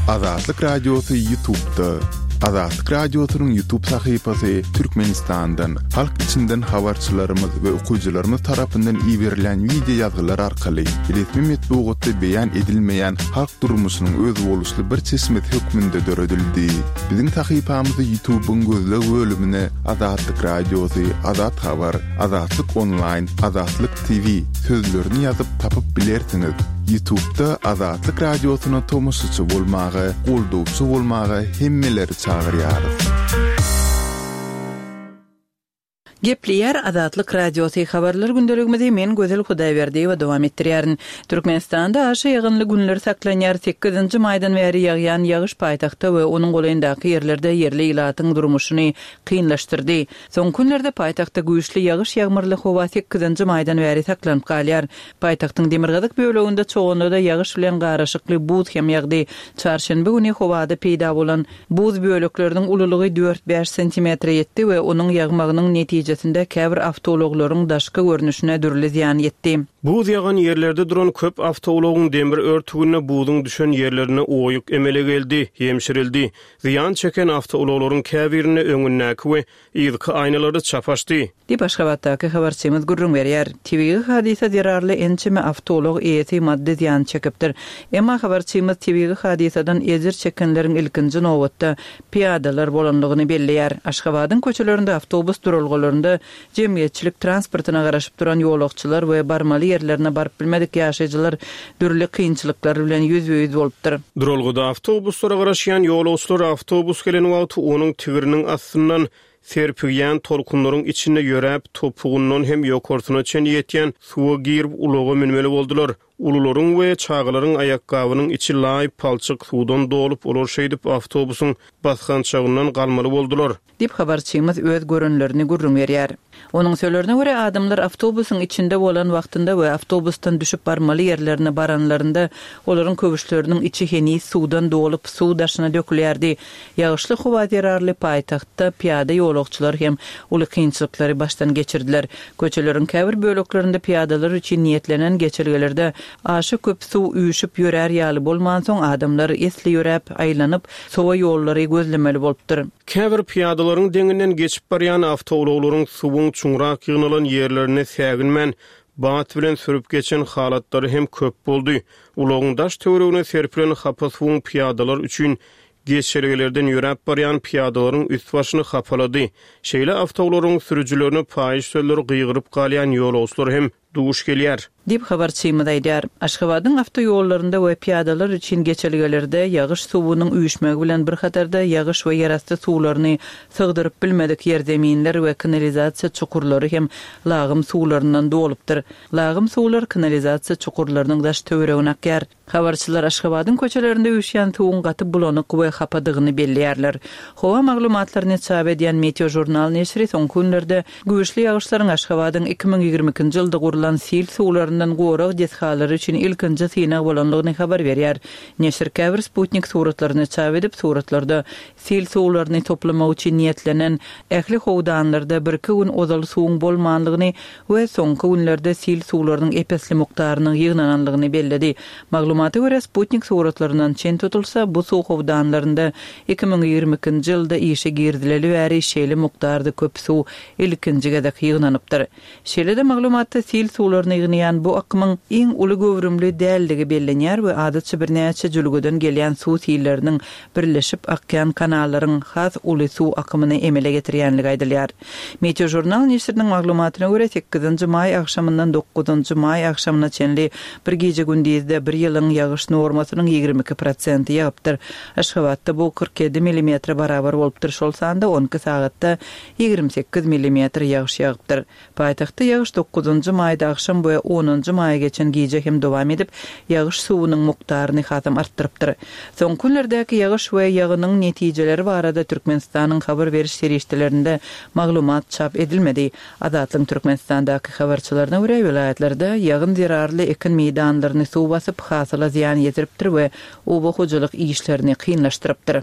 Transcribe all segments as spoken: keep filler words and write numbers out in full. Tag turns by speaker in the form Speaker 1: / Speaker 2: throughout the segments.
Speaker 1: Azatlyk Radiosy YouTube'da. Azatlyk Radiosynyň YouTube sahypasy Türkmenistandan, halk içinden habarçylarymyz we okyjylarymyz tarapyndan iberilen wideo ýazgylar arkaly resmi metbugatda beýan edilmeýän halk durmuşynyň özboluşly bir çeşmesi hökmünde döredildi. Biziň sahypamyzy YouTube'yň gözleg bölümine Azatlyk Radiosy, Azat Habar, Azatlyk Online, Azatlyk T V sözlerini ýazyp tapyp bilersiňiz. YouTube'da Azatlyk Radiosyna tomaşaçy bolmaga, goldawçy bolmaga hemmeleri çagyrýarys.
Speaker 2: Gepleýär Azatlyk Radiosy habarlar gündeligimizi men Gözel Hudaýberdiýewa dowam etdirýärin. Türkmenistanda aşa ýagynly günler saklanýar. sekizinji maýdan bäri ýagýan ýagyş paýtagtda we onuň golaýyndaky ýerlerde ýerli ilatyň durmuşyny kynlaşdyrdy. Soňky günlerde paýtagtda güýçli ýagyş ýagmyrly howa sekizinji maýdan bäri saklanyp galýar. Paýtagtyň demirgazyk böleginde çoğunda ýagyş bilen garyşykly buz hem ýagdy. Çarşenbe güni howada peýda bolan buz bölekleriniň ululygy dört bäş santimetre ýetdi we onuň ýagmagynyň netijesinde käbir awtoulaglaryň daşky görnüşine dürli zyýan ýetdi.
Speaker 3: Buz ýagan ýerlerde duran köp awtoulagyň demir örtüginde buzuň düşen ýerlerine oýuk emele geldi, ýemşirildi. Zyýan çeken awtoulaglaryň käbirinde öňündäki we yzky aýnalary çapaşdy.
Speaker 2: Diýip Aşgabatdaky habarçymyz gürrüň berýär. Tebigy hadysa zerarly ençeme awtoulag eýesi maddy zyýan çekipdir. Emma habarçymyz tebigy hadysadan ejir çekenleriň ilkinji nobatda piyadalar bolanlygyny belleýär. Aşgabadyň köçelerinde awtobus duralgalarynda jemgyýetçilik transportyna garaşyp duran ýolagçylar we barmaly ýerlerine baryp bilmedik ýaşaýjylar dürli kynçylyklar bilen ýüzbe-ýüz bolupdyr.
Speaker 3: Duralgada awtobuslara garaşýan ýolagçylar awtobus gelen wagty onuň tigiriniň astyndan serpigýän tolkunlaryň içinde ýöräp, topugyndan hem ýokarsyna çen ýetýän suwa girip ulaga münmeli boldular. Ulularyň we çagalaryň aýakgabynyň içi laý palçyk suwdan dolup, olar şeýdip awtobusyň basgançagyndan galmaly boldular.
Speaker 2: Diýip habarçymyz öz görenlerini gürrüň berýär. Onuň sözlerine görä adamlar awtobusyň içinde bolan wagtynda we awtobusdan düşüp barmaly ýerlerine baranlarynda olaryň köwüşleriniň içi heniz suwdan dolup, suw daşyna dökülýärdi. Ýagyşly howa zerarly paýtagtda piyada ýolagçylar hem uly kynçylyklary başdan geçirdiler. Köçeleriň käbir böleklerinde piyadalar üçin niýetlenen geçelgelerde aşa köp suw üýşüp ýörär ýaly bolmansoň adamlar esli ýöräp, aýlanyp, sowa ýollary gözlemeli bolupdyr.
Speaker 3: Käbir piyadalaryň deňinden geçip barýan awtoulaglaryň suwuň çuňrak ýygnalan ýerlerine säginmän, bat bilen sürüp geçen halatlary hem köp boldy. Ulagyň daş töweregine serpilen hapa suwuň piyadalar üçin geçelgelerden ýöräp barýan piyadalaryň üst başyny hapalady. Şeýle awtoulaglaryň sürüjilerine paýyş sözleri gygyryp galýan ýolagçylar hem duş gelýär.
Speaker 2: Diýip habarçymyz aýdýar. Aşgabadyň awtoýollarynda we piyadalar üçin geçelgelerde ýagyş suwunyň üýşmegi bilen bir hatarda ýagyş we ýerasty suwlaryny sygdyryp bilmedik ýerzeminler we kanalizasiýa çukurlary hem lagym suwlaryndan dolupdyr. Lagym suwlar kanalizasiýa çukurlarynyň daş töweregine akýar. Habarçylar Aşgabadyň köçelerinde üýşýän suwuň gaty bulanyk we hapadygyny belleýärler. Howa maglumatlaryny çap edýän Meteo Jurnal neşiri soňky günlerde güýçli ýagyşlaryň Aşgabadyň iki müň ýigrimi ikinji ýylda gurlan sil suwlaryndan gorag desgalary üçin ilkinji synag bolanlygyny habar berýär. Neşir käbir Sputnik suratlaryny çap edip, suratlarda sil suwlaryny toplamak üçin niýetlenen ähli howdanlarda bir-iki gün ozal suwuň bolmanlygyny we soňky günlerde sil suwlarynyň epesli mukdarynyň ýygnananlygyny belledi. Maglumata görä Sputnik suratlaryndan çen tutulsa, bu suw howdanlarynda iki müň ýigrimi ikinji ýylda işe girizileli bäri şeýle mukdarda köp suw ilkinji gezek ýygnanypdyr. Şeýle-de maglumatda sil suwlaryny ýygnaýan bu akymyň iň uly göwrümli däldigi bellenýär we adatça birnäçe jülgeden gelýän suw silleriniň birleşip akýan kanallaryň has uly suw akymyny emele getirýänligi aýdylýar. Meteo Jurnal neşiriniň maglumatyna görä sekizinji maý agşamyndan dokuzynjy maý agşamyna çenli bir gije gündizde bir ýylyň ýagyş normasynyň ýigrimi iki prosenti ýagypdyr. Aşgabatda bu kyrk ýedi millimetre barabar bolupdyr. Şol sanda on iki sagatda ýigrimi sekiz millimetr ýagyş ýagypdyr. Paýtagtda ýagyş dokuzynjy maýda agşam we onunjy maýa geçen gije hem dowam edip, ýagyş suwunyň mukdaryny hasam artdyrypdyr. Soňky günlerdäki ýagyş we ýagynyň netijeleri barada Türkmenistanyň habar beriş serişdelerinde maglumat çap edilmedi. Azatlyň Türkmenistandaky habarçylaryna görä welaýatlarda ýagyn zerarly ekin meýdanlaryny suw basyp, hasyla zyýan ýetiripdir we oba hojalyk işlerini kynlaşdyrypdyr.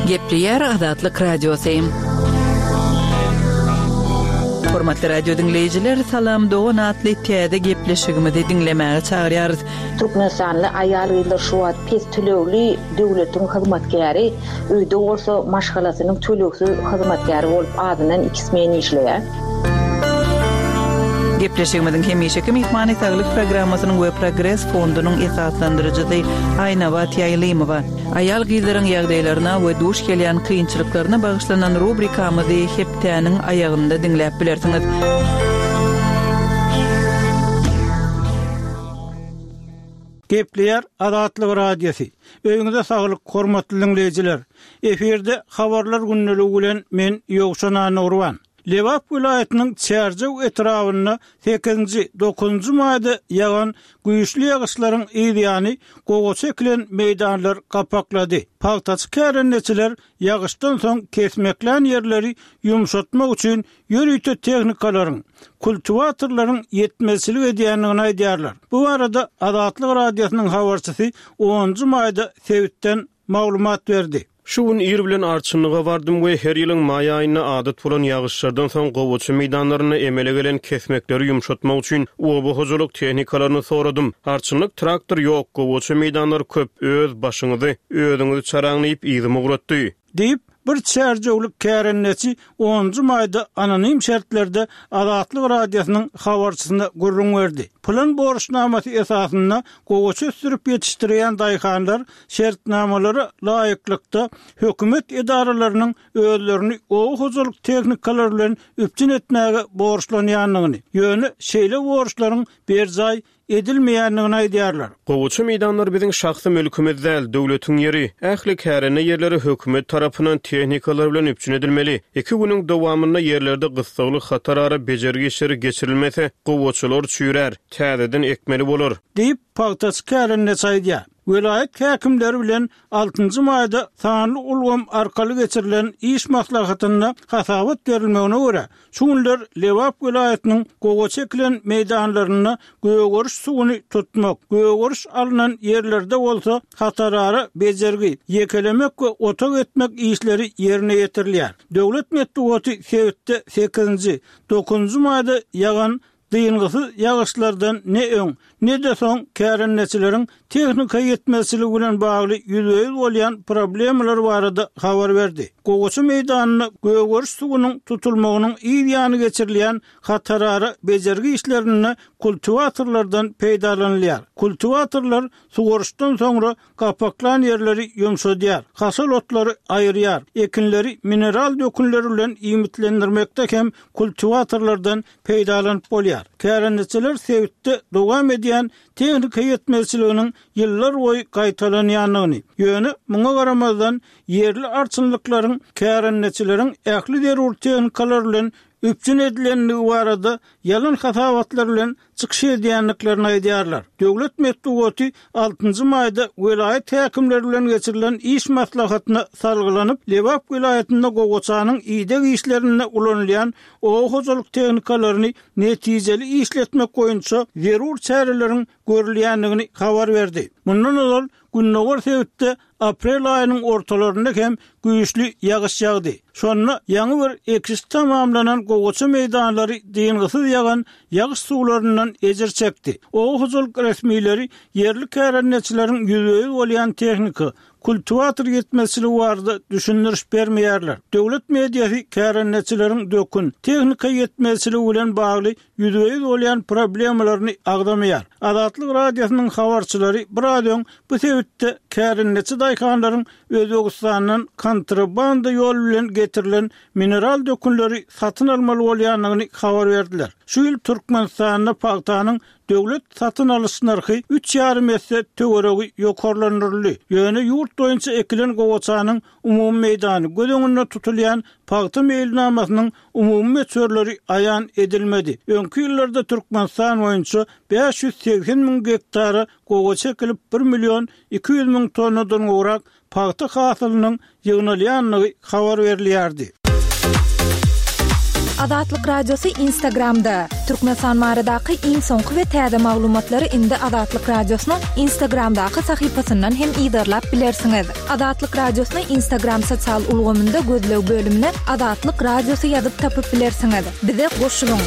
Speaker 2: Gepleýär Azatlyk Radiosy. Hormatly radio diňleýjiler, Salam dogan atly täze gepleşigimizi diňlemäge çagyrýarys.
Speaker 4: Türkmenistanly aýal-gyzlar şu wagt pes tölegli döwletiň hyzmatkäri, öýde bolsa maşgalasynyň tölegsiz hyzmatkäri bolup azyndan iki smen işleýär.
Speaker 2: Gepleşigimiziň hemişeki myhmany saglyk programmasynyň we Progres fondunyň esaslandyryjysy Aýnabat Ýaýlymowa. Aýal-gyzlaryň ýagdaýlaryna we duş gelýän kynçylyklaryna bagyşlanan rubrikamyzy hepdäniň aýagynda diňläp bilersiňiz.
Speaker 5: Gepleýär Azatlyk Radiosy. Öýüňize saglyk, hormatly diňleýjiler. Efirde habarlar gündeligi bilen men Ýowşan Annagurban. Lebap welaýatynyň Çärjew etrabynda sekizinji, dokuzynjy maýda ýagan güýçli ýagyşlaryň yz ýany gowaça ekilen meýdanlar gapaklady. Pagtaçy kärendeçiler ýagyşdan soň kesmeklän ýerleri ýumşatmak üçin ýörite tehnikalaryň, kultiwatorlaryň ýetmezçilik edýändigini aýdýarlar. Bu barada Azatlyk Radiosynyň habarçysy onunjy maýda sebitden maglumat berdi.
Speaker 3: Şu gün ir bilen arçynlyga bardym we her ýylyň maý aýynda adat bolan ýagyşlardan soň gowaça meýdanlarynda emele gelen kesmekleri ýumşatmak üçin oba hojalyk tehnikalaryny soradym. Arçynlyk traktor ýok, gowaça meýdanlar köp, öz başyňyzy özüňizi çaraň diýip yzymy ugratdy.
Speaker 5: Diýip, bir çärjewlik kärendeçi onunjy maýda anonim şertlerde Azatlyk Radiosynyň habarçysyna gürrüň berdi. Plan borçnamasy esasynda gowaça ösdürip ýetişdirýän daýhanlar şertnamalara laýyklykda hökümet edaralarynyň özlerini oba hojalyk tehnikalary bilen üpjün etmäge borçlanýandygyny, ýöne şeýle borçlaryň berjaý edilmeýändigini aýdýarlar.
Speaker 3: Gowaça meýdanlary biziň şahsy mülkümiz däl, döwletiň ýeri. Ähli kärende ýerleri hökümet tarapyndan tehnikalar bilen üpjün edilmeli. Iki günüň dowamynda ýerlerde gyssagly hatarara bejergi işleri geçirilmese, gowaçalar çüýrär, täzeden ekmeli bolar.
Speaker 5: Diýip, pagtaçy kärendeçi aýdýar. Welaýat häkimleri bilen altynjy maýda sanly ulgam arkaly geçirilen iş maslahatynda hasabat berilmegine görä, şu günler Lebap welaýatynyň gowaça ekilen meýdanlarynda gögeriş suwuny tutmak, gögeriş alnan ýerlerde bolsa hatarara bejergi, ýekelemek we otag etmek işleri ýerine ýetirilýär. Döwlet metbugaty sebitde sekizinji, dokuzynjy maýda ýagan dyngysyz ýagyşlardan ne öň, ne-de soň kärendeçileriň tehnika ýetmezçiligi bilen bagly ýüzbe-ýüz bolýan problemalar barada habar berdi. Gowaça meýdanynda gögeriş suwunyň tutulmagynyň yz ýany geçirilýän hatarara bejergi işlerinde kultiwatorlardan peýdalanylýar. Kultiwatorlar suwaryşdan soňra gapaklan ýerleri ýumşadýar, haşal otlary aýyrýar, ekinleri mineral dökünleri bilen iýmitlendirmekde hem kultiwatorlardan peýdalanyp bolýar. Kärendeçiler sebitde dowam edýän tehnika ýetmezçiliginiň ýyllar boýy gaýtalanýandygyny, ýöne muňa garamazdan ýerli arçynlyklaryň kärendeçileriň ähli zerur tehnikalar bilen üpjün edilendigi barada ýalan hasabatlar bilen çykyş edýändiklerini aýdýarlar. Döwlet metbugaty altynjy maýda welaýat häkimleri bilen geçirilen iş maslahatyna salgylanyp, Lebap welaýatynda gowaçanyň ideg işlerinde ulanylýan oba hojalyk tehnikalaryny netijeli işletmek boýunça zerur çäreleriň görülýändigini habar berdi. Mundan ozal Gündogar sebitde aprel aýynyň ortalarynda hem güýçli ýagyş ýagdy. Şonda ýaňy bir ekiş tamamlanan gowaça meýdanlary dyngysyz ýagan ýagyş suwlaryndan ejir çekdi. Oba hojalyk resmileri ýerli kärendeçileriň ýüzbe-ýüz bolýan tehnika, kultiwator ýetmezçiligi barada düşündiriş bermeýärler. Döwlet mediasy kärendeçileriň dökün, tehnika ýetmezçiligi bilen bagly ýüzbe-ýüz bolýan problemalaryny agzamaýar. Azatlyk Radiosynyň habarçylary biraz öň bu sebitde kärendeçi daýhanlaryň Özbegistandan kontrabanda ýol bilen getirilen mineral dökünleri satyn almaly bolýandygyny habar berdiler. Şu ýyl Türkmenistanda pagtanyň döwlet satyn alyş nyrhy üç ýarym esse töweregi ýokarlandyryldy. Ýöne ýurt boýunça ekilen gowaçanyň umumy meýdany göz öňünde tutulýan pagta meýilnamasynyň umumy möçberleri aýan edilmedi. Öňki ýyllarda Türkmenistan boýunça bäş ýüz segsen müň gektara gowaça ekilip, bir million iki ýüz müň tonnadan gowrak pagta hasylynyň ýygnalýandygy habar berilýärdi.
Speaker 6: Azatlyk Radiosy Instagramda. Türkmenistan baradaky iň soňky we täze maglumatlary indi Azatlyk Radiosynyň Instagramdaky sahypasyndan hem yzarlap bilersiňiz. Azatlyk Radiosyny Instagram sosial ulgamynda gözleg bölümine Azatlyk Radiosy ýazyp tapyp bilersiňiz. Bize goşulyň.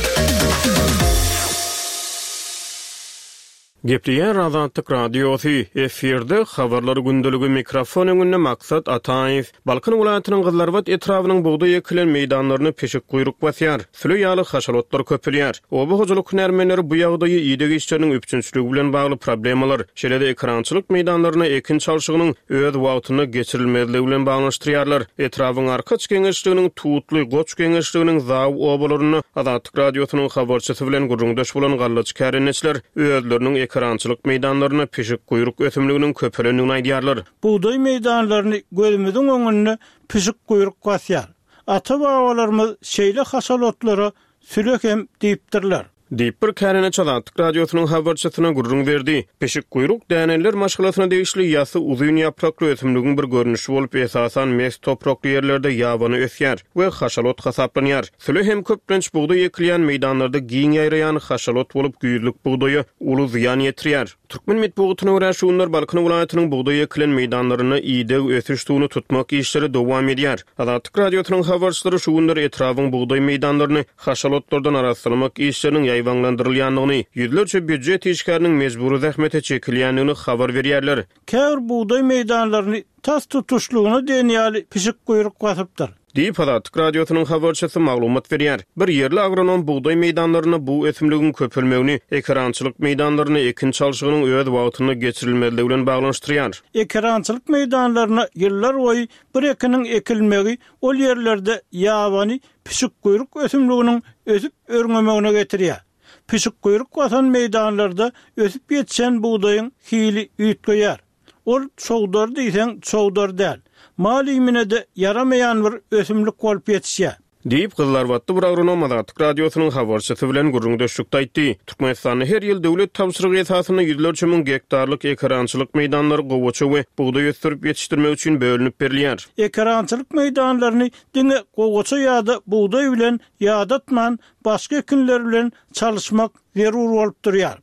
Speaker 3: Gepleýär Azatlyk Radiosy, efirde habarlar gündeligi mikrofon öňünde Maksat Ataýew. Balkan welaýatynyň Gyzlarbat etrabynyň bugdaý ekilen meýdanlaryny pişik guýruk basýar. Süle ýaly haşalotlar köpelýär. Oba hojalyk hünärmenleri bu ýagdaýy ideg işleriniň üpjünçiligi bilen bagly problemalar, şeýle-de ekerançylyk meýdanlaryna ekin çalşygynyň öz wagtynda geçirilmezligi bilen baglanyşdyrýarlar. Etrabyň Arkaç geňeşliginiň Tutly, Goç geňeşliginiň Zaw obalarynda Azatlyk Radiosynyň habarçysy bilen gürrüňdeş bolan gallaçy kärendeçiler özleriniň ekerançylyk meýdanlaryna pişik guýruk ösümliginiň köpelendigini aýdýarlar.
Speaker 5: Bugdaý meýdanlaryny gözümiziň öňünde pişik guýruk basýar. Ata-babalarymyz şeýle haşalotlara süle hem diýipdirler.
Speaker 3: Diýip bir kärendeçi Azatlyk Radiosynyň habarçysyna gürrüň berdi. Pişik guýruk däneliler maşgalasyna degişli ýasy uzyn ýaprakly ösümligiň bir görnüşi bolup, esasan mes toprakly ýerlerde ýabany ösýär we haşalot hasaplanýar. Süle hem köplenç bugdaý ekilýän meýdanlarda giň ýaýraýan haşalot bolup, güýzlük bugdaýa uly zyýan ýetirýär. Türkmen metbugatyna görä, şu günler Balkan welaýatynyň bugdaý ekilen meýdanlarynda ideg ösüş suwuny tutmak işleri dowam edýär. Azatlyk Radiosynyň habarçylary şu günler etrabyň bugdaý meýdanlaryny haşalotlardan arassalamak işleriniň ýaýbaňlandyrylýandygyny, ýüzlerçe býujet işgäriniň mejbury zähmete çekilýändigini habar berýärler.
Speaker 5: Käbir bugdaý meýdanlaryny tas tutuşlygyna diýen ýaly pişik guýruk basypdyr.
Speaker 3: Diýip, Azatlyk Radiosynyň habarçysy maglumat berýär. Bir ýerli agronom bugdaý meýdanlarynda bu ösümligiň köpelmegini ekerançylyk meýdanlaryna ekin çalşygynyň öz wagtynda geçirilmezligi bilen baglanyşdyrýar.
Speaker 5: Ekerançylyk meýdanlaryna ýyllar boýy bir ekiniň ekilmegi ol ýerlerde ýabany pişik guýruk ösümliginiň ösüp örňemegine getirýär. Pişik guýruk basan meýdanlarda ösüp ýetişen bugdaýyň hili üýtgeýär. Ol çowdar diýseň çowdar däl. Mal iýmine-de ýaramaýan bir ösümlik bolup ýetişýär.
Speaker 3: Diýip, Gyzlarbatly bir agronom Azatlyk Radiosynyň habarçysy bilen gürrüňdeşlikde aýtdy. Türkmenistanda her ýyl döwlet tabşyrygy esasynda ýüzlerçe müň gektarlyk ekerançylyk meýdanlary gowaça we bugdaý ösdürip ýetişdirmek üçin bölünip berilýär.
Speaker 5: Ekerançylyk meýdanlaryny diňe gowaça ýa-da bugdaý bilen ýadatman, başga ekinler bilen çalyşmak zerur bolup durýar.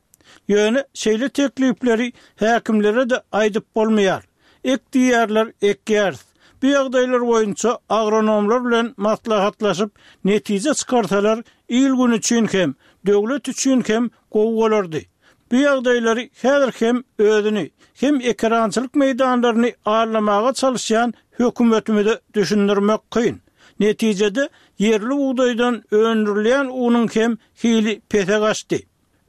Speaker 5: Ýöne şeýle teklipleri häkimlere-de aýdyp bolmaýar. Ek diýerler, ekýäris. Bu ýagdaýlar boýunça agronomlar bilen maslahatlaşyp, netije çykarsalar, il gün üçin hem, döwlet üçin hem gowy bolardy. Bu ýagdaýlary häzir hem özüni, hem ekerançylyk meýdanlaryny arlamaga çalışýan hökümetimize düşündirmek kyn. Netijede ýerli bugdaýdan öndürilýän unuň hem hili pese gaçdy.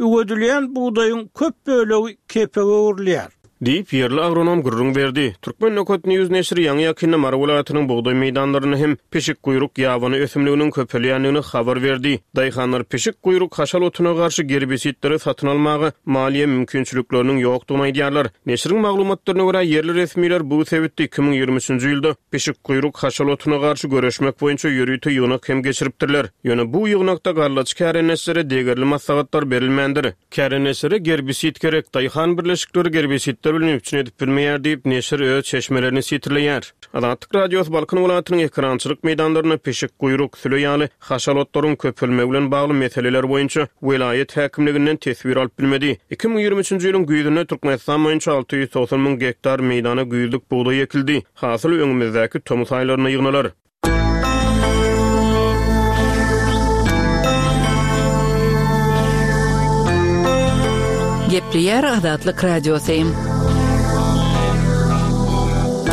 Speaker 5: Üwedilýän bugdaýyň köp bölegi kepege öwrülýär.
Speaker 3: Diýip, ýerli agronom gürrüň berdi. Türkmen Nokat News neşiri ýaňy ýakynda Mary welaýatynyň bugdaý meýdanlarynda hem pişik guýruk ýabany ösümliginiň köpelýändigini habar berdi. Daýhanlar pişik guýruk haşal otuna garşy gerbisidleri satyn almaga maliýe mümkinçilikleriniň ýokdugyny aýdýarlar. Neşiriň maglumatlaryna görä, ýerli resmiler bu sebitde iki müň ýigrimi üçünji ýylda pişik guýruk haşal otuna garşy göreşmek boýunça ýörite ýygnak hem geçiripdirler. Ýöne bu ýygnakda gallaçy kärendeçilere degerli maslahatlar berilmändir. Kärendeçilere gerbisid gerek, daýhan birleşikleri gerbisidler bilen üpjün edip bilmeýär diýip, neşir öz çeşmelerini sitirleýär. Azatlyk Radiosy Balkan welaýatynyň ekerançylyk meýdanlarynda pişik guýruk, süle ýaly haşal otlaryň köpelmegi bilen bagly meseleler boýunça welaýat häkimliginden teswir alyp bilmedi. Iki müň ýigrimi üçünji ýylyň güýzünde Türkmenistan boýunça alty ýüz togsan müň gektar meýdana güýzlük bugdaý ekildi. Hasyl öňümizdäki tomus aýlarynda ýygnalar.
Speaker 2: Gepleýär Azatlyk Radiosy.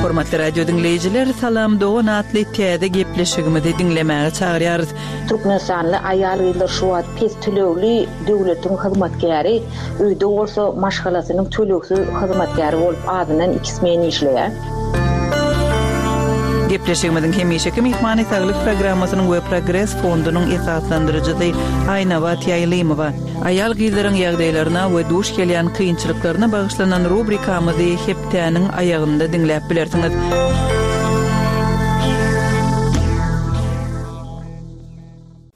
Speaker 2: Hormatly radio diňleýjiler, Salam Dogan atly täze gepleşigimizi diňlemäge çagyrýarys.
Speaker 4: Türkmenistanly aýal-gyzlar şu wagt pes tölegli döwletiň hyzmatkäri, öýde bolsa maşgalasynyň tölegsiz hyzmatkäri bolup azyndan iki smen işleýär.
Speaker 2: Gepleşigimiziň hemişeki myhmany Saglyk programmasynyň we Progres fondunyň esaslandyryjysy Aýnabat Ýaýlymowa. Aýal gyzlaryň ýagdaýlaryna we duş gelýän kynçylyklaryna bagyşlanan rubrikamyzy hepdäniň aýagynda diňläp bilersiňiz.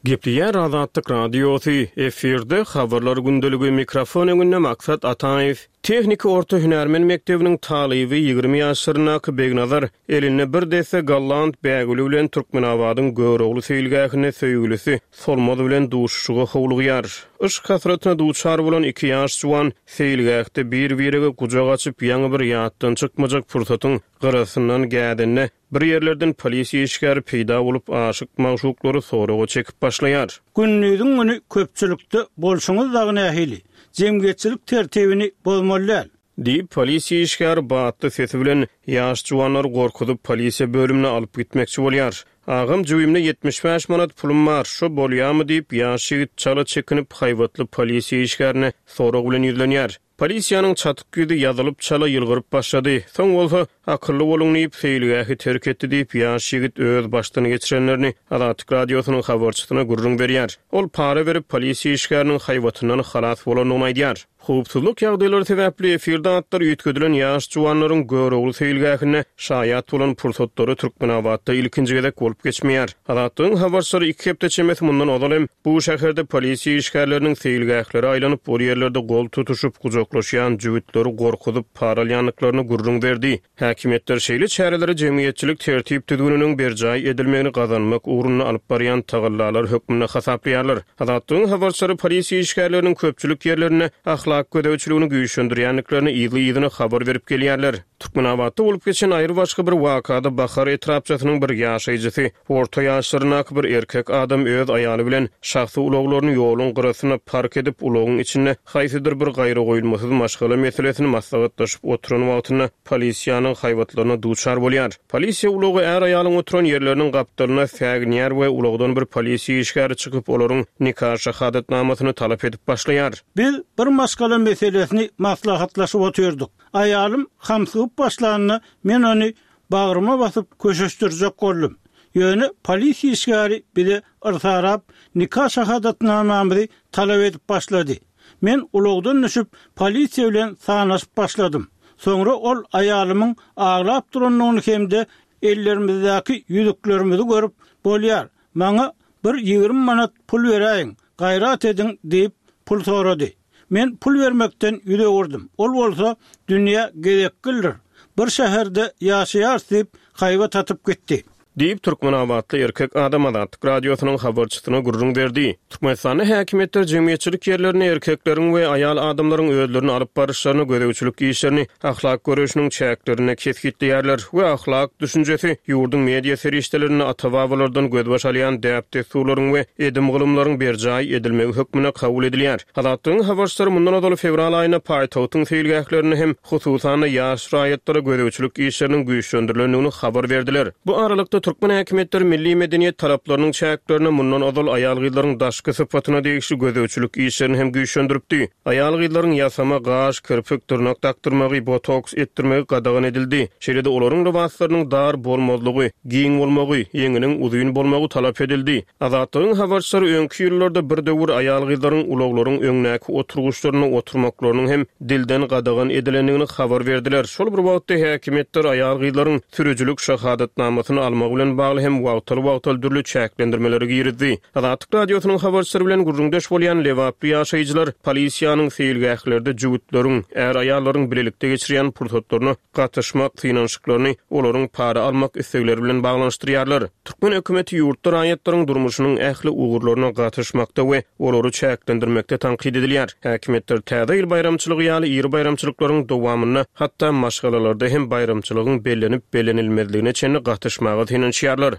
Speaker 3: Gepleýär Azatlyk Radiosy, efirde habarlar gündeligi, mikrofon öňünde Maksat Ataýew. Tehniki orta hünärmen mekdebiniň talyby ýigrimi ýaşlaryndaky Begnazar elinde bir desse golland bägüli bilen Türkmenabadyň Görogly seýilgähinde söýgülisi Solmaz bilen duşuşyga howlugýar. Yşk hasratyna duçar bolan iki ýaş juwan seýilgähde bir-birege gujak açyp, ýaňy bir ýatdan çykmajak pursatyň gyrasyndan gädende bir ýerlerden polisiýa işgäri peýda bolup, aşyk-magşuklary soraga çekip başlaýar.
Speaker 5: Gündiziň güni köpçülikde bolşuňyz dagy nähili? Jemgyýetçilik tertibini bozmaly däl.
Speaker 3: Diýip, polisiýa işgäri batly sesi bilen ýaş juwanlary gorkuzyp, polisiýa bölümine alyp gitmekçi bolýar. Agam, jübimde ýetmiş bäş manat pulum bar, şo bolýamy diýip, ýaş ýigit çala çekinip, haýbatly polisiýa işgärine sorag bilen ýüzlenýär. Polisiýanyň çatyk ýüzi ýazylyp, çala ýylgyryp başlady. Soň bolsa, Akylly boluň diýip, seýilgähi terk etdi diýip, ýaş ýigit öz başdan geçirenlerini Azatlyk Radiosynyň habarçysyna gürrüň berýär. Ol para berip, polisiýa işgäriniň haýbatyndan halas bolandygyny aýdýar. Howpsuzlyk ýagdaýlary sebäpli efirde atlary üýtgedilen ýaş juwanlaryň Görogly seýilgähinde şaýat bolan pursatlary Türkmenabatda ilkinji gezek bolup geçmeýär. Azatlygyň habarçylary iki hepde çemesi mundan ozal hem bu şäherde polisiýa işgärleriniň seýilgählere aýlanyp, ol ýerlerde gol tutuşyp, gujaklaşýan jübütleri gorkuzyp, para alýandyklaryny gürrüň berdi. Häkimiýetler şeýle çäreleri jemgyýetçilik tertip-düzgüniniň berjaý edilmegini gazanmak ugrunda alyp barýan tagallalar hökmünde hasaplaýarlar. Azatlygyň habarçylary polisiýa işgärleriniň köpçülik ýerlerinde ahlak gözegçiligini güýçlendirýändiklerini yzly-yzyna habar berip gelýärler. Türkmenabatda bolup geçen aýry-başga bir wakada Bahar etrapçasynyň bir ýaşaýjysy, orta ýaşlaryndaky bir erkek adam öz aýaly bilen şahsy ulaglaryny ýoluň gyrasyna park edip, ulagyň içinde haýsydyr bir gaýragoýulmasyz maşgala meselesini maslahatlaşyp oturan wagtynda polisiýanyň haýbatlaryna duçar bolýar. Polisiýa ulagy är-aýalyň oturan ýerleriniň gapdalyna säginýär we ulagdan bir polisiýa işgäri çykyp, olaryň nika şahadatnamasyny talap edip başlaýar.
Speaker 5: Biz bir maşgala meselesini maslahatlaşyp otyrdyk. Aýalym hamsygyp başlanda men ony bagryma basyp köşeşdirjek boldum. Ýöne polisiýa işgäri bize yrsarap, nika şahadatnamamyzy talap edip başlady. Men ulagdan düşüp, polisiýa bilen sanaşyp başladym. Soňra ol aýalymyň aglap durandygyny hem-de ellerimizdäki ýüzüklerimizi görüp, bolýar, maňa bir ýigrimi manat pul beräýiň, gaýrat ediň diýip pul sorady. Men pul bermekden ýüz öwürdim. Ol bolsa dünýä gezekgildir. Bir şäherde ýaşaýarys diýip haýbat atyp gitdi.
Speaker 3: Diýip, türkmenabatly erkek adam Azatlyk Radiosynyň habarçysyna gürrüň berdi. Türkmenistanda häkimiýetler jemgyýetçilik ýerlerinde erkekleriň we aýal adamlaryň özlerini alyp baryşlaryna gözegçilik işlerini ahlak göreşiniň çäklerinde kesgitleýärler we ahlak düşünjesi ýurduň media serişdelerinde ata-babalardan gözbaş alýan däp-dessurlaryň we edim-gylymlaryň berjaý edilmegi hökmünde kabul edilýär. Azatlygyň habarçylary mundan ozal fewral aýynda paýtagtyň seýilgählerinde hem hususan-da ýaş raýatlara gözegçilik işleriniň güýçlendirilendigini habar berdiler. Bu aralykda türkmen häkimiýetleri milli medeniýet talaplarynyň çäklerinde mundan ozal aýal-gyzlaryň daşky sypatyna degişli gözegçilik işlerini hem güýçlendiripdi. Aýal-gyzlaryň ýasama gaş, kirpik, dyrnak dakdyrmagy, botoks etdirmegi gadagan edildi. Şeýle-de olaryň lybaslarynyň dar bolmazlygy, giň bolmagy, ýeňiniň uzyn bolmagy talap edildi. Azatlygyň habarçylary öňki ýyllarda bir döwür aýal-gyzlaryň ulaglaryň öňdäki oturgyçlarynda oturmaklarynyň hem dilden gadagan edilendigini habar berdiler. Şol bir wagtda häkimiýetler aýal-gyzlaryň sürüjilik şahadatnamasyny almagy bilen bagly hem wagtal-wagtal dürli çäklendirmeleri girizdi. Azatlyk Radiosynyň habarçylary bilen gürrüňdeş bolýan lebaply ýaşaýjylar polisiýanyň seýilgählerde jübütleriň, är-aýallaryň bilelikde geçirýän pursatlaryna gatyşmak synanyşyklaryny olaryň para almak islegleri bilen baglanyşdyrýarlar. Türkmen hökümeti ýurtda raýatlaryň durmuşynyň ähli ugurlaryna gatyşmakda we olary çäklendirmekde tankyt edilýär. Häkimiýetler Täze ýyl baýramçylygy ýaly iri baýramçylyklaryň dowamynda hatda maşgalalarda hem baýramçylygyň bellenip-bellenilmezligine çenli gatyşmaga synanyşýarlar.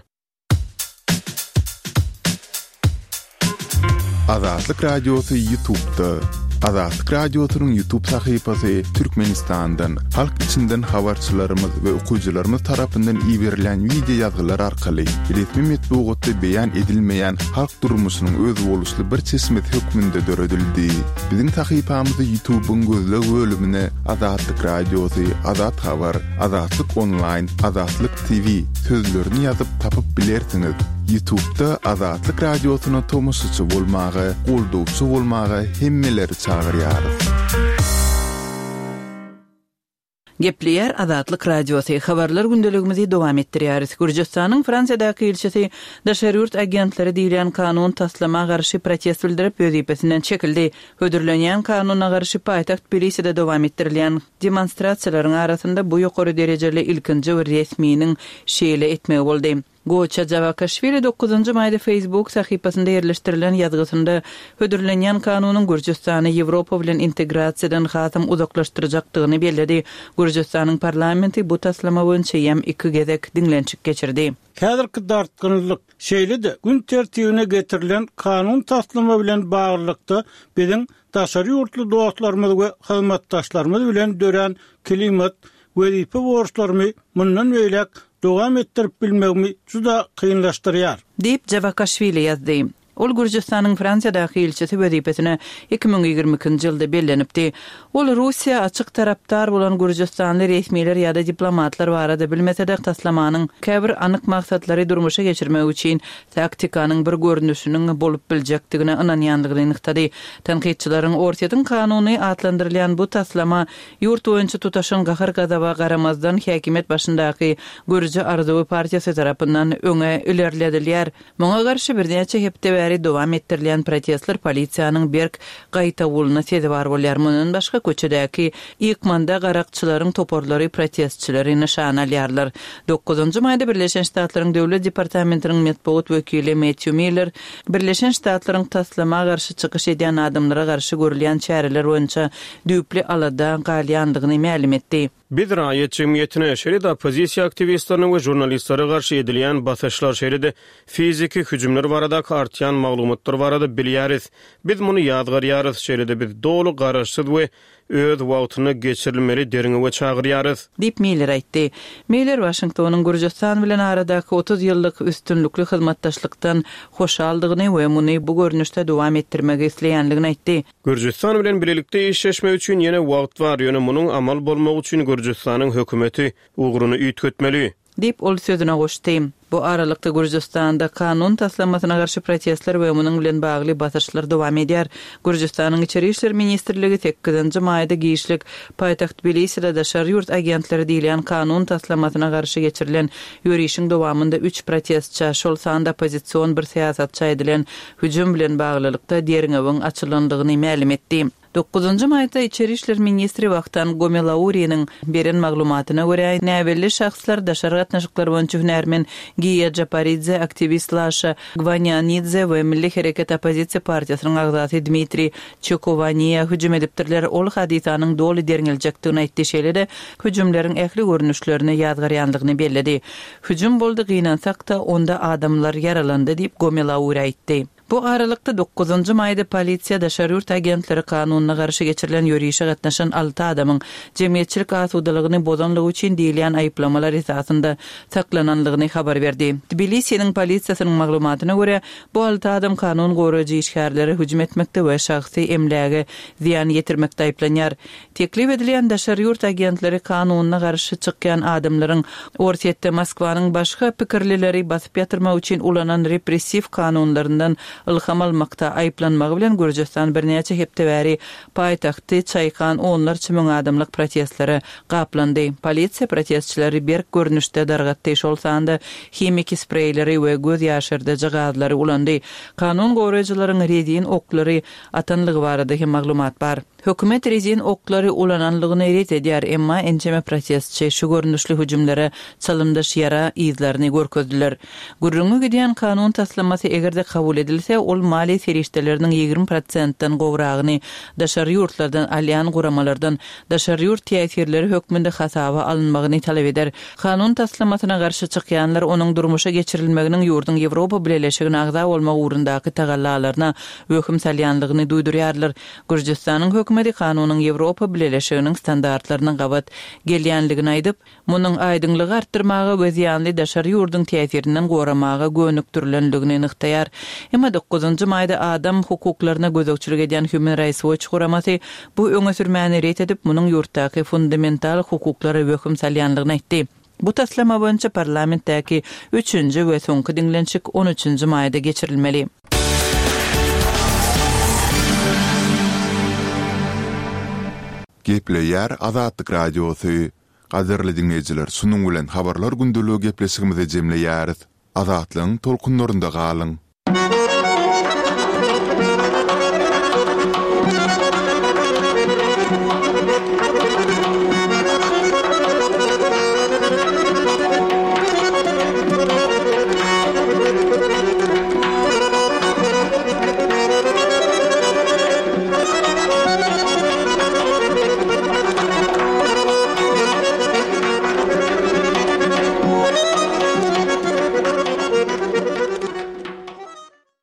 Speaker 1: Azatlyk Radiosy YouTube'da. Azatlyk Radiosynyň YouTube sahypasy Türkmenistandan, halk içinden habarçylarymyz we okyjylarymyz tarapyndan iberilen wideo ýazgylar arkaly resmi metbugatda beýan edilmeýän halk durmuşynyň özboluşly bir çeşmesi hökmünde döredildi. Biziň sahypamyzy YouTube'yň gözleg bölümine Azatlyk Radiosy, Azat Habar, Azatlyk Online, Azatlyk T V sözlerini ýazyp tapyp bilersiňiz. YouTube'da Azatlyk Radiosyna tomaşaçy bolmaga, goldawçy bolmaga hemmeleri çagyrýarys.
Speaker 2: Gepleýär Azatlyk Radiosy, Habarlar gündeligimizi dowam etdirýäris. Gürjüstanyň Fransiýadaky ilçisi daşary ýurt agentleri diýilýän kanun taslama garşy protest bildirip, wezipesinden çekildi. Hödürlenýän kanuna garşy paýtagt Tbiliside dowam etdirilýän demonstrasiýalaryň arasynda bu ýokary derejeli ilkinji bir resminiň şeýle etmegi boldy. Goça Jawakaşwili dokuzynjy maýda Facebook sahypasynda ýerleşdirilen ýazgysynda hödürlenýän kanunyň Gürjüstany Ýewropa bilen integrasiýadan hasam uzaklaşdyrjakdygyny belledi. Gürjüstanyň parlamenti bu taslama boýunça eýýäm iki gezek diňlenişik geçirdi.
Speaker 5: Häzirki dartgynlylyk, şeýle-de gün tertibine getirilen kanun taslama bilen baglylykda biziň daşary ýurtly dostlarymyz we hyzmatdaşlarymyz bilen dörän klimat wezipe borçlarymy mundan beýläk dowam etdirip bilmegimi juda kynlaşdyrýar.
Speaker 2: Diýip, Jawakaşwili ýazdy. Ol Gürjüstanyň Fransiýadaky ilçisi wezipesine iki müň ýigrimi ikinji ýylda bellenipdi. Ol Russiýa açyk tarapdar bolan gürjüstanly resmiler ýa-da diplomatlar barada bilmese-de, taslamanyň käbir anyk maksatlary durmuşa geçirmek üçin taktikanyň bir görnüşiniň bolup biljekdigine ynanýandygyny nygtady. Tankytçylaryň Orsýetiň kanuny atlandyrylýan bu taslama ýurt boýunça tutaşan gahar-gazaba garamazdan häkimiýet başyndaky Gürji arzuwy partiýasy tarapyndan öňe ilerledilýär. Muňa garşy birnäçe hepde bäri dowam etdirilýän protestler polisiýanyň berk gaýtawulyna sezewar bolýar. Mundan başga, köçedäki ýykmanda garakçylaryň toparlary protestçileri nyşana alýarlar. Dokuzynjy maýda Birleşen Ştatlaryň Döwlet departamentiniň metbugat wekili Metýu Miller Birleşen Ştatlaryň taslama garşy çykyş edýän adamlara garşy görülýän çäreler boýunça düýpli alada galýandygyny mälim etdi.
Speaker 3: Biz raýat jemgyýetine, şeýle-de oppozisiýa aktiwistlerine we žurnalistlere garşy edilýän basyşlar, şeýle-de fiziki hüjümler baradaky artýan maglumatlar barada bilýäris. Biz muny ýazgarýarys, şeýle-de biz doly garaşsyz we öz wagtynda geçirilmeli derňewe çagyrýarys.
Speaker 2: Diýip, Miller aýtdy. Miller Waşingtonyň Gürjüstan bilen aradaky otuz ýyllyk üstünlikli hyzmatdaşlykdan hoşaldygyny we muny bu görnüşde dowam etdirmegi isleýändigini aýtdy.
Speaker 3: Gürjüstan bilen bilelikde işleşmek üçin ýene wagt bar, ýöne munuň amal bolmagy üçin Gürjüstanyň hökümeti ugruny üýtgetmeli.
Speaker 2: Diýip, ol sözüne goşdy. Bu aralykda, Gürjüstanda kanun taslamasyna garşy protestler we munuň bilen bagly basyşlar dowam edýär. Gürjüstanyň Içeri işler ministrligi sekizinji maýda giçlik paýtagt Tbiliside daşary ýurt agentleri diýilýän kanun taslamasyna garşy geçirilen ýörişiň dowamynda üç protestçä, şol sanda oppozision bir syýasatça edilen hüjüm bilen baglylykda derňewiň açylandygyny mälim etdi. Dokuzynjy maýda içeri işler ministri Wahtang Gomelauriniň beren maglumatyna görä, näbelli şahslar daşary gatnaşyklar boýunça hünärmen Giýa Japaridze, aktiwist Laşa Gwanianidze we Milli hereket oppozisiýa partiýasynyň agzasy Dmitriý Çekowaniýa hüjüm edipdirler. Ol hadysanyň doly derňeljekdigini aýtdy, şeýle-de hüjümleriň ähli görnüşlerini ýazgarýandygyny belledi. Hüjüm boldy, gynansak-da, onda adamlar ýaralandy diýip, Gomelauri aýtdy. Bu aralykda, dokuzynjy maýda polisiýa daşary ýurt agentleri kanunyna garşy geçirilen ýörişe gatnaşan alty adamyň jemgyýetçilik asudalygyny bozanlygy üçin diýilýän aýyplamalar esasynda saklananlygyny habar berdi. Tbilisiniň polisiýasynyň maglumatyna görä, bu alty adam kanun goraýjy işgärlere hüjüm etmekde we şahsy emläge zyýan ýetirmekde aýyplanýar. Teklip edilýän daşary ýurt agentleri kanunyna garşy çykýan adamlaryň Orsýetde Moskwanyň başga pikirlileri basyp ýatyrmak üçin ulanan repressiw kanunlaryndan ylham almakda aýyplanmagy bilen Gürjüstan birnäçe hepde bäri paýtagty çaýkan onlarça müň adamlyk protestlere gaplandy. Polisiýa protestçileri berk görnüşde dargatdy, şol sanda himiki spreýleri we göz ýaşardyjy gazlary ulandy. Kanun goraýjylaryň rezin oklary atanlygy barada hem maglumat bar. Hökümet rezin oklary ulananlygyny ret edýär, emma ençeme protestçi şu görnüşli hüjümlere çalymdaş ýara yzlaryny görkezdiler. Gürrüňi gidýän kanun taslamasy eger-de kabul edilse, ol maliýe serişdeleriniň ýigrimi prosentden gowragyny daşary ýurtlardan alýan guramalardan daşary ýurt täsirleri hökmünde hasaba alynmagyny talap eder. Kanun taslamasyna garşy çykýanlar onuň durmuşa geçirilmeginiň ýurduň Ýewropa Bileleşigine agza bolmak ugrundaky tagallalaryna wehim salýanlygyny duýdurýarlar. Gürjüstanyň hökümeti kanunyň Ýewropa Bileleşiginiň standartlaryna gabat gelýänligini aýdyp, munuň aýdyňlygy artdyrmaga we zyýanly daşary ýurduň täsirinden goramaga gönükdirilenligini nygtaýar. Emma dokuzynjy maýda adam hukuklaryna gözegçilik edýän Human Rights Watch guramasy bu öňe sürmäni ret edip, munuň ýurtdaky fundamental hukuklara wehim salýanlygyny aýtdy. Bu taslama boýunça parlamentdäki üçünji we soňky diňlenişik on üçünji maýda geçirilmeli.
Speaker 1: Gepleýär Azatlyk Radiosy. Gadyrly diňleýjiler, şunuň bilen Habarlar gündeligi gepleşigimizi jemleýäris. Azatlygyň tolkunlarynda galyň!